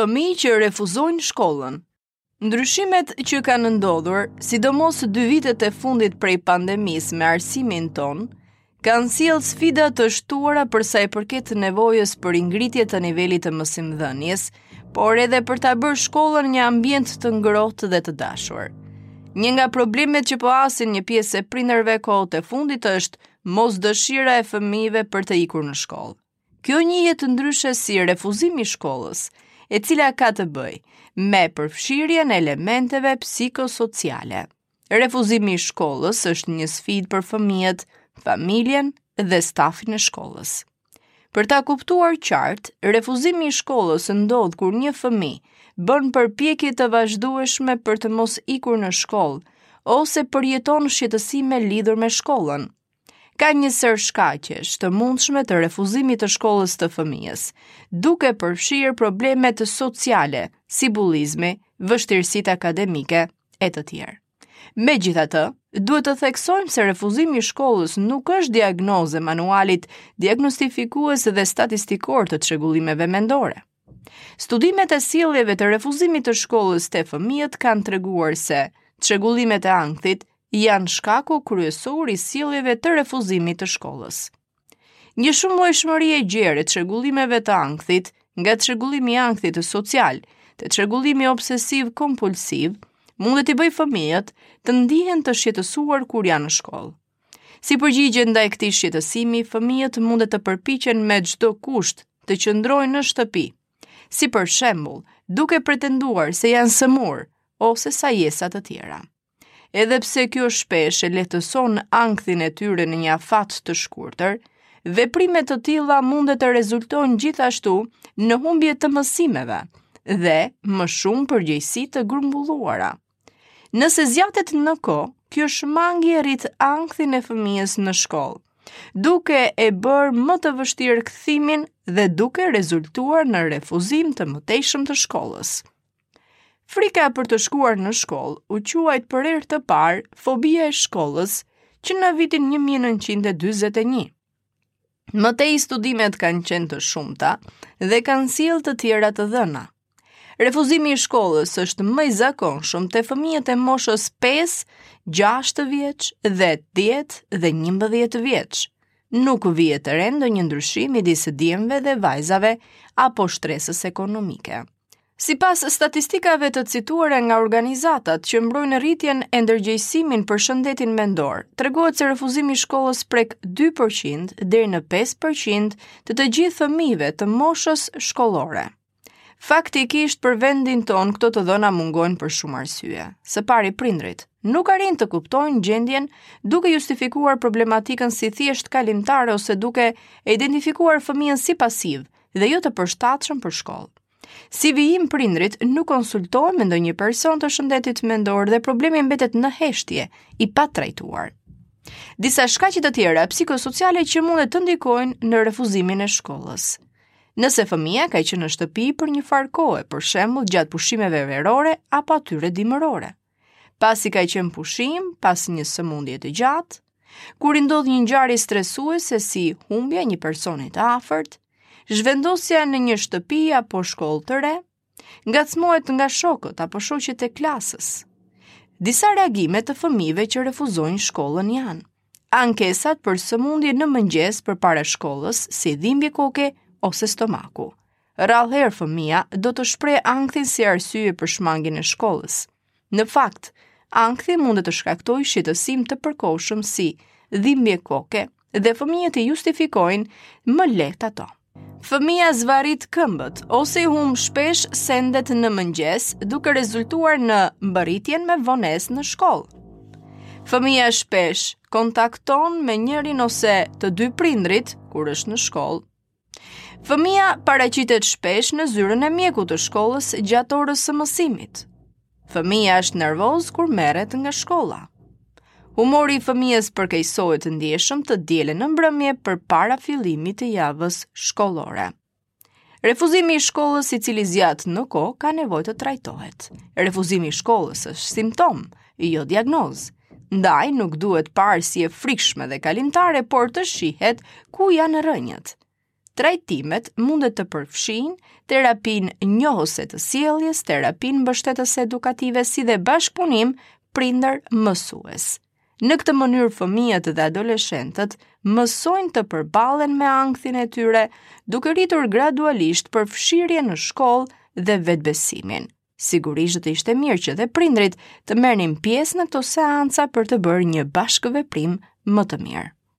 Fëmijë që refuzojnë shkollën. Ndryshimet që kanë ndodhur, sidomos dy vitet e fundit prej pandemisë me arsimin tonë, kanë sjellë sfida të shtuara për sa i përket nevojës për ringritje të nivelit të mësimdhënies, por edhe për ta bërë shkollën një ambient të ngrohtë dhe të dashur. Një nga problemet që po hasin një pjesë e prindërve kohët e fundit është mosdëshira e fëmijëve për të ikur në shkollë. Kjo njihet ndryshe si refuzim i shkollës, e cila ka të bëjë me përfshirjen e elementeve psikosociale. Refuzimi i shkollës është një sfidë për fëmijët, familjen dhe stafin e shkollës. Për ta kuptuar qartë, refuzimi i shkollës ndodh kur një fëmijë bën përpjekje të vazhdueshme për të mos ikur në shkollë ose përjeton shqetësime lidhur me shkollën. Ka një sërë shkaqesh të mundshme të refuzimit të shkollës të fëmijës, duke përfshirë problemet sociale, si bullizmi, vështirësitë akademike e të tjerë. Megjithatë, duhet të theksojmë se refuzimi i shkollës nuk është diagnozë e manualit diagnostifikues dhe statistikor të çrregullimeve mendore. Studimet e sjelljeve të refuzimit të shkollës te fëmijët kanë treguar se çrregullimet e ankthit janë shkaku kryesor i sjelljeve të refuzimit të shkollës. Një shumëllojshmëri e gjerë e çrregullimeve të ankthit, nga çrregullimi i ankthit social te çrregullimi obsesiv kompulsiv, mund t'i bëjë fëmijët të ndihen të shqetësuar kur janë në shkollë. Si përgjigje ndaj këtij shqetësimi, fëmijët mund të përpiqen me çdo kusht të qëndrojnë në shtëpi. Si për shembull, duke pretenduar se janë sëmurë ose sajesa të tjera. Edhe pse kjo shpesh e lehtëson ankthin e tyre në një afat të shkurtër, veprime të tilla mund të rezultojnë gjithashtu në humbje të mësimeve dhe më shumë përgjegjësi të grumbulluara. Nëse zgjatet në kohë, kjo shmangie rrit ankthin e fëmijës në shkollë, duke e bërë më të vështirë kthimin dhe duke rezultuar në refuzim të mëtejshëm të shkollës. Frika për të shkuar në shkollë u quajt për herë të parë fobia e shkollës që në vitin 1941. Më tej studimet kanë qenë të shumta dhe kanë sjellë të tjera të dhëna. Refuzimi i shkollës është më i zakonshëm te fëmijët e moshës 5, 6 vjeç dhe 10 dhe 11 vjeç. Nuk vihet re ndonjë ndryshim midis djemve dhe vajzave apo shtresës ekonomike. Sipas statistikave të cituara nga organizatat që mbrojnë rritjen e ndërgjegjësimin për shëndetin mendor, tregohet se refuzimi i shkollës prek 2% deri në 5% të të gjithë fëmijëve të moshës shkollore. Faktikisht për vendin tonë këto të dhëna mungojnë për shumë arsye. Së pari prindërit nuk arrijnë të kuptojnë gjendjen duke justifikuar problematikën si thjesht kalimtare ose duke e identifikuar fëmijën si pasiv dhe jo të përshtatshëm për shkollë. Si vijim prindërit nuk konsultohen me ndonjë person të shëndetit mendor dhe problemi mbetet në heshtje, i patrajtuar. Disa shkaqe të tjera psikosociale që mund të ndikojnë në refuzimin e shkollës. Nëse fëmija ka qenë në shtëpi për një farë kohe, për shembull gjatë pushimeve verore apo atyre dimërore. Pasi ka qenë pushim, pas një sëmundje të gjatë, kur i ndodh një ngjarje stresuese si humbja e një personi të afërt, zhvendosja në një shtëpi apo shkollë të re, ngacmohet nga shokët apo shoqet e klasës. Disa reagime të fëmijëve që refuzojnë shkollën janë ankesat për sëmundje në mëngjes përpara shkollës, si dhimbje koke ose stomaku. Rrallë herë fëmija do të shprehë ankthin si arsye për shmangien e shkollës. Në fakt, ankthi mund të shkaktojë shqetësim të përkohshëm si dhimbje koke dhe fëmijët i justifikojnë më lehtë ato. Fëmija zvarrit këmbët ose i humb shpesh sendet në mëngjes, duke rezultuar në mbërritjen me vonesë në shkollë. Fëmija shpesh kontakton me njërin ose të dy prindërit kur është në shkollë. Fëmija paraqitet shpesh në zyrën e mjekut të shkollës gjatë orës së mësimit. Fëmija është nervoz kur merret nga shkolla. Humori i fëmijës përkeqësohet ndjeshëm të dielën në mbrëmje përpara fillimit të javës shkollore. Refuzimi i shkollës i cili zgjat në kohë ka nevojë të trajtohet. Refuzimi i shkollës është simptomë, jo diagnozë. Ndaj nuk duhet parë si e frikshme dhe kalimtare, por të shihet ku janë rrënjët. Trajtimet mundet të përfshijnë terapinë njohëse të sjelljes, terapinë mbështetëse edukative si dhe bashkëpunim prindër-mësues. Në këtë mënyrë fëmijët dhe adoleshentët mësojnë të përballen me ankthin e tyre, duke rritur gradualisht përfshirjen në shkollë dhe vetëbesimin. Sigurisht do të ishte mirë që dhe prindërit të merrnin pjesë në këto seanca për të bërë një bashkëveprim më të mirë.